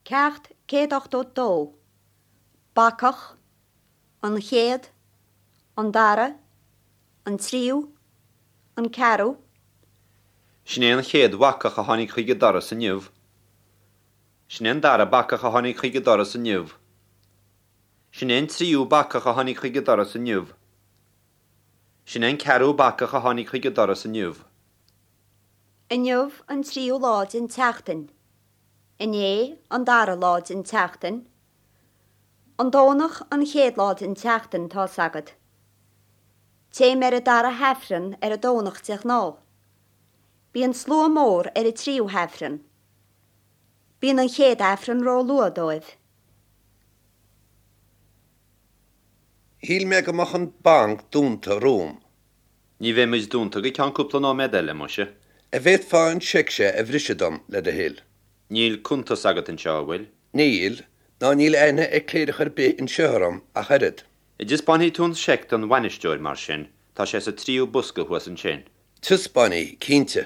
Ceacht 182, Bacach, An chéad, An dara, An tríú, An ceathrú. Sin é an chéad bhacach a tháinig chuig an doras inniu. Sin é an dara bacach a tháinig chuig an doras inniu. Sin é an tríú bacach a tháinig chuig an doras inniu. Sin é an ceathrú bacach a tháinig chuig an doras inniu. Inniu an tríú lá den tseachtain. Inné an dara lá den tseachtain. An Domhnach an chéad lá den tseachtain, tá's agat. Téim ar an dara hAifreann ar an Domhnach de ghnáth. Bíonn slua mór ar an tríú hAifreann. Bíonn an chéad Aifreann ró-luath dóibh. Shíl mé go mbeadh an banc dúnta romham. Ní bheidh muid dúnta go ceann cúpla nóiméad eile, muise. A bhféadfá an seic seo a bhriseadh dom, le do thoil? Níl cuntas agat anseo, an bhfuil? Níl, ná níl aithne ag cléireach ar bith anseo orm ach oiread. An dtaispeánfaidh tú an seic don bhainisteoir, mar sin? Tá sé sa tríú bosca thuas ansin. Taispeánfaidh, cinnte.